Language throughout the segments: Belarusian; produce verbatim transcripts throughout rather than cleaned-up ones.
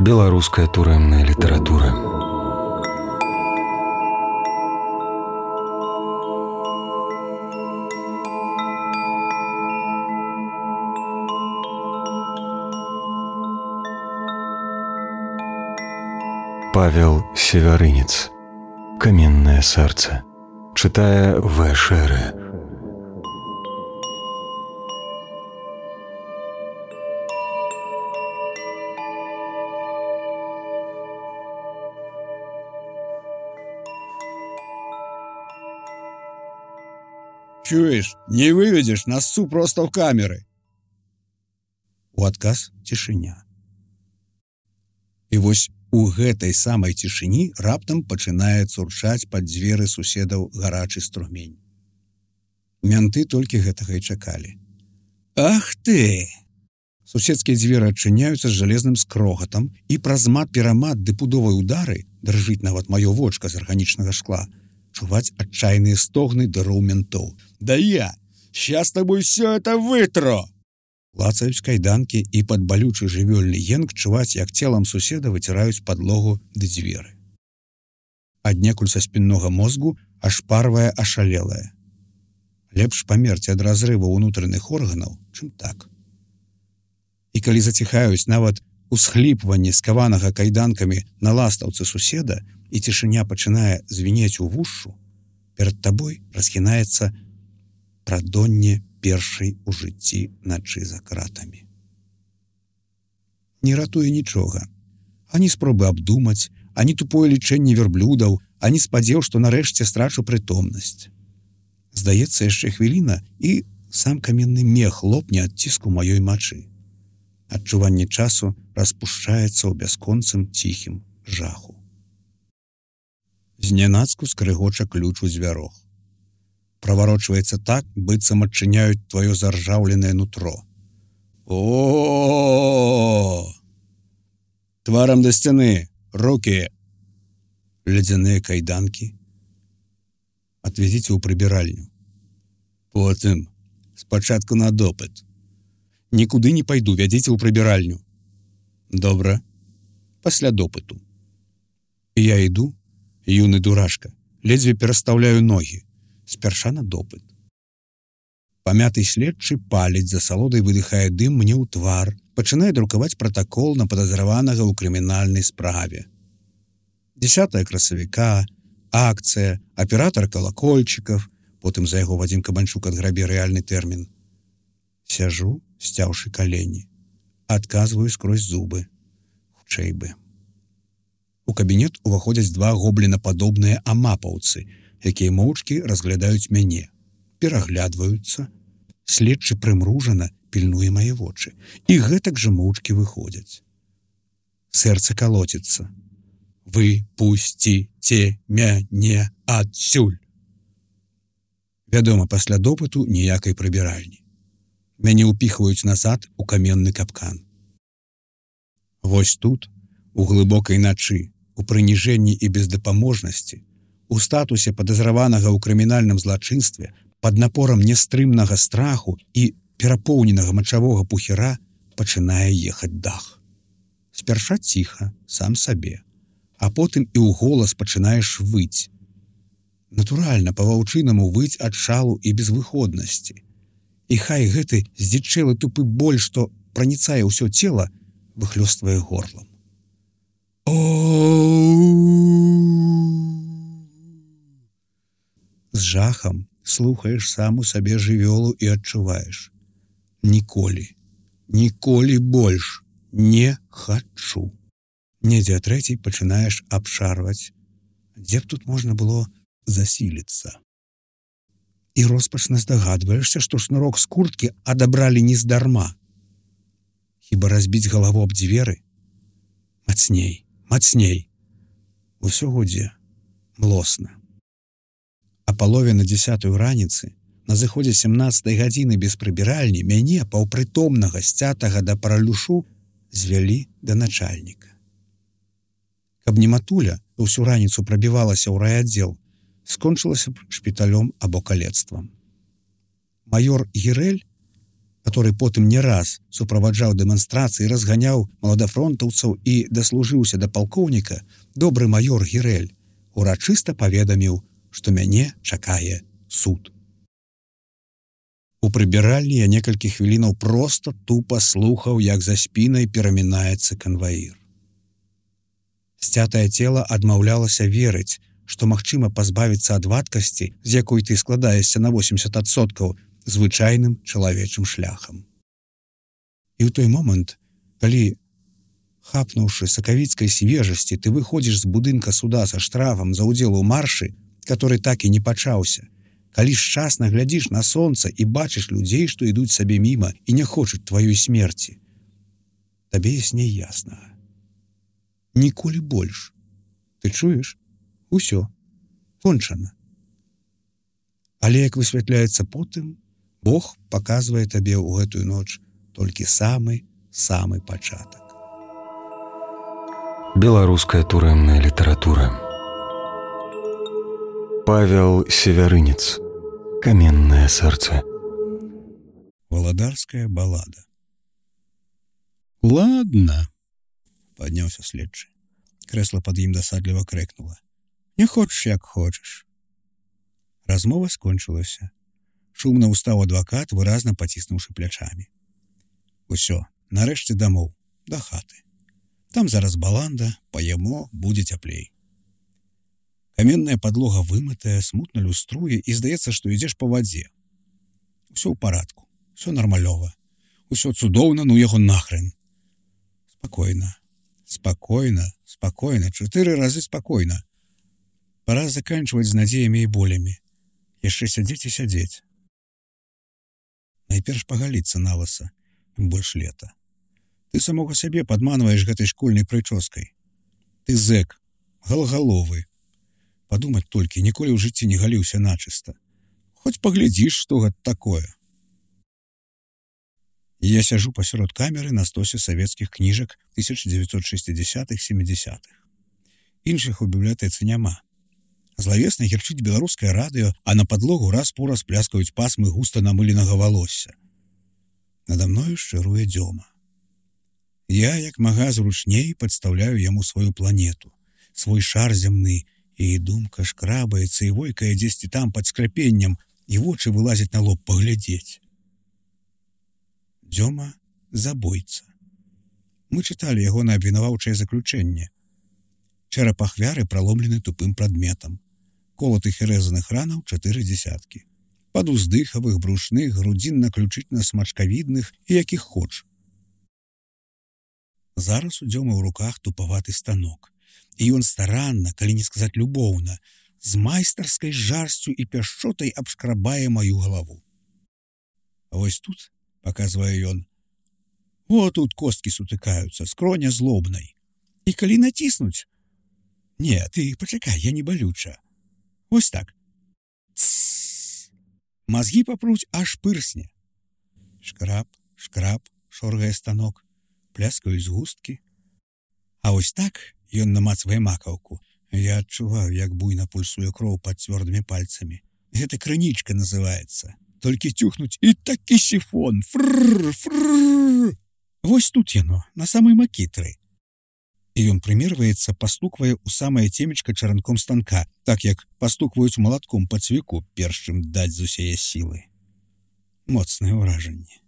Беларуская турэмная літаратура. Павел Севярынец. Каменное сердце. Читая В. Шере. Чуешь, не выведешь нас су просто в камеры. У адказ цішыня. І вось у гэтай самай цішыні раптам пачынае цурчаць пад дзверы суседаў гарачы струмень. Мянты толькі гэтага і чакалі. Ах ты! Суседскія дзверы адчыняюцца з жалезным скрогатам, і праз мат-перамат ды пудовай удары, дрыжыць нават маё вочка з арганічнага шкла, чуваць адчайныя стогны дыроў ментоў. Да я! Щас тобой все это вытру! Лацаюць кайданкі, і пад балючы жывёльны енк чуваць, як целам суседа выціраюць падлогу ды дзверы. Аднекуль са спіннога мозгу ашпарвае ашалелае. Лепш памерці ад разрыву ўнутраных органаў, чым так. І калі заціхаюць нават усхліпванне скаванага кайданкамі на ластаўцы суседа, і цішыня пачынае звінець у вушшу, перад табой расхінаецца прадонне першай у жыцці начы за кратамі. Не ратуе нічога. Ані спробы абдумаць, ані тупое лічэнне верблюдаў, ані спадзеў, што нарэшце страчу прытомнасць. Здаецца, яшчэ хвіліна, і сам каменны мех лопне ад ціску маёй мачы. Адчуванне часу распушчаецца ў бясконцым ціхім жаху. Знянацку скрыгоча ключ у дзвярох. Праварочваецца так, быццам адчыняюць тваё заржаўленае нутро. О! Тварам да сцяны, рукі! Ледзяныя кайданкі. Адвезіце ў прыбіральню. Потым, спачатку на допыт. Нікуды не пайду, вядзіце ў прыбіральню. Добра, пасля допыту. І я іду, юны дурашка, ледзьве перастаўляю ногі, спярша на допыт. Памяты следчы паліць, за салодай выдыхае дым мне ў твар, пачынае друкаваць пратакол на падазраванага ў крымінальнай справе. дзесятое красавіка, акцыя, аператар калакольчыкаў, потым за яго Вадзім Кабанчук адграбе рэальны тэрмін. Сяжу, сцяўшы калені, адказваю скрозь зубы. Хутчэй бы. У кабінет уваходзяць два гоблінападобныя амапаўцы, якія моўчкі разглядаюць мяне, пераглядваюцца, следчы прымружана пільнуе мае вочы, і гэтак жа моўчкі выходзяць. Сэрца калоціцца. Выпусціце мяне адсюль. Вядома, пасля допыту ніякай прыбіральні. Мяне ўпіхваюць назад у каменны капкан. Вось тут, у глыбокай начы, у прыніжэнні і бездапаможнасці, у статусе падазраванага ў крымінальным злачынстве, пад напорам нястрымнага страху і перапоўненага мачавога пухіра пачынае ехаць дах. Спярша ціха, сам сабе, а потым і ў голас пачынаеш выць. Натуральна, па-ваўчынаму выць ад шалу і безвыходнасці. І хай гэты здзічэлы тупы боль, што праніцае ўсё цела, выхлёствае горлам. З жахам слухаеш саму сабе жывёлу і адчуваеш. Ніколі, ніколі больш не хачу. Недзе а трэцяй пачынаеш абшарваць, дзе б тут можна было засіліцца. І роспачна здагадваешся, што шнурок з курткі адабралі нездарма. Хіба разбіць галаву аб дзверы? Мацней, мацней. Усё гудзе, млосна. А палове на дзесятую раніцы, на зыходзе сямнаццатай гадзіны без прыбіральні, мяне, паўпрытомнага, сцятага да паралюшу, звялі да начальніка. Каб не матуля, усю раніцу прабівалася ў райаддзел, скончылася б шпіталём або калецтвам. Майор Гірэль, который потым не раз суправаджаў дэманстрацыі, разганяў маладафронтаўцаў і даслужыўся да палкоўніка, добры маёр Гірэль урачыста паведаміў, што мяне чакае суд. У прыбіральні я некалькі хвілінаў проста тупа слухаў, як за спінай перамінаецца канваір. Сцятае цела адмаўлялася верыць, што магчыма пазбавіцца ад вадкасці, з якой ты складаешся на восемьдесят адсоткаў, звычайным чалавечым шляхам. І ў той момант, калі, хапнуўшы сакавіцкай свежасці, ты выходзіш з будынка суда са штрафам за ўдзел у маршы, который так і не пачаўся, калі шчасна глядзіш на сонца і бачыш людзей, што ідуць сабе міма і не хочуць тваёй смерці, табе ясней яснага. Ніколі больш. Ты чуеш? Усё. Кончана. Але, як высвятляецца потым, Бог паказвае табе ў гэтую ноч толькі самы-самы пачатак. Беларуская турэмная літаратура. Павел Севярынец. Каменнае сэрца. Валадарская балада. Ладно, падняўся следчы. Крэсла пад ім дасадліва крэкнула. Не хочаш, як хочаш. Размова скончылася. Шумна ўстаў адвакат, выразна паціснуўшы плячамі. Усё, нарэшце дамоў, да хаты. Там зараз баланда, паемо, будзе цяплей. Каменная падлога вымытая, смутна люструе, і здаецца, што ідзеш па вадзе. Усё ў парадку, усё нармалёва. Усё цудоўна, ну яго нахрен. Спакойна, спакойна, спакойна, чатыры разы спакойна. Пара заканчваць з надзеямі і болямі. Яшчэ сядзець і сядзець. Найперш пагаліцца наласа, ім больш лета. Ты самога сябе падманваеш гэтай школьнай прычоскай. Ты зэк, галгаловы. Падумаць толькі, ніколі ў жыцці не галіўся начыста. Хоць паглядзіш, што гэта такое. І я сяжу пасярод камеры на стосе савецкіх кніжак тысяча дзевяцьсот шэсцідзясятых - сямідзясятых. Іншых у бібліятэцы няма. Злавесна гірчыць беларускае радыё, а на падлогу раз-пораз пляскаюць пасмы густа намыленага валосся. Нада мною шчыруе Дзёма. Я, як мага зручней, падстаўляю яму сваю планету, свой шар зямны, і думка шкрабаецца і войкае дзесьці там пад скляпеннем, і вочы вылазяць на лоб паглядзець. Дзёма забойца. Мы чыталі яго на абвінаваўчае заключэнне. Чэрап ахвяры праломлены тупым прадметам. Колатых і рэзаных ранаў чатыры дзесяткі. Падуздыхавых, брушных, грудзінна-ключычна-смачкавідных і якіх хоч. Зараз у Дзёмы ў руках тупаваты станок. І ён старанна, калі не сказаць любоўна, з майстарскай жарсцю і пяшчотай абшкрабае маю галаву. А вось тут, паказвае ён, о, тут косткі сутыкаюцца, скроня злобнай. І калі націснуць, не, ты пачакай, я не балюча. Вось так. Тссс. Мазгі папруць, аж пырсне. Шкраб, шкраб, шоргае станок, пляскаюць згусткі. А вось так ён намацвае макаўку. Я адчуваю, як буйна пульсуе кроў пад цвёрдымі пальцамі. Гэта крынічка называецца. Толькі тюхнуць і такі сіфон. Фрррр, фрррр. Вось тут яно, на самай макітры. І ён прымерваецца, пастуквае ў самае цемечка чаранком станка, так як пастукваюць малатком па цвіку, перш чым даць з усяе сілы. Моцнае ўражанне.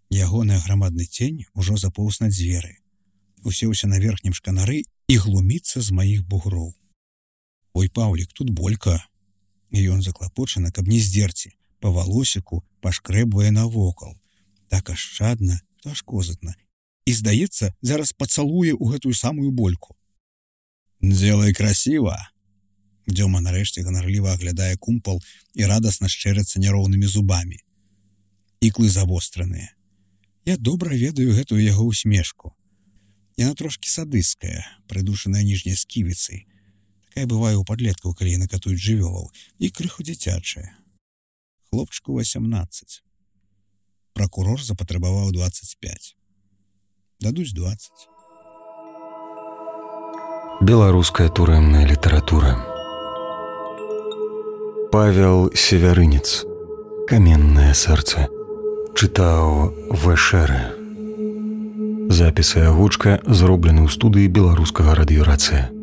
Ягоны грамадны цень ужо запоўз на дзверы. Усеўся на верхнім шканары і глуміцца з маіх бугроў. Ой, Паўлік, тут болька. І ён заклапочана, каб не здзерці, па валосіку пашкрэбвае навокал. Так ашчадна, то аж козатна. І, здаецца, зараз пацалуе ў гэтую самую больку. «Дзелай красіва!» Дзёма нарэшце ганарліва аглядае кумпал і радасна шчэрацца няроўнымі зубамі. Іклы завостраныя. Я добра ведаю гэтую яго усмешку. Яна трошкі садысцкая, прыдушаная ніжняй сківіцай. Такая бывае ў падлеткаў, калі яны катуюць жывёлаў, і крыху дзіцячая. Хлопчыку васямнаццаць. Пракурор запатрабаваў дваццаць пяць. Дадуць дваццаць. Беларуская турэмная літаратура. Павел Севярынец. Каменнае сэрца. Чытаў Вэшэры. Запісы агучка зроблены ў студыі беларускага радыёрацыя.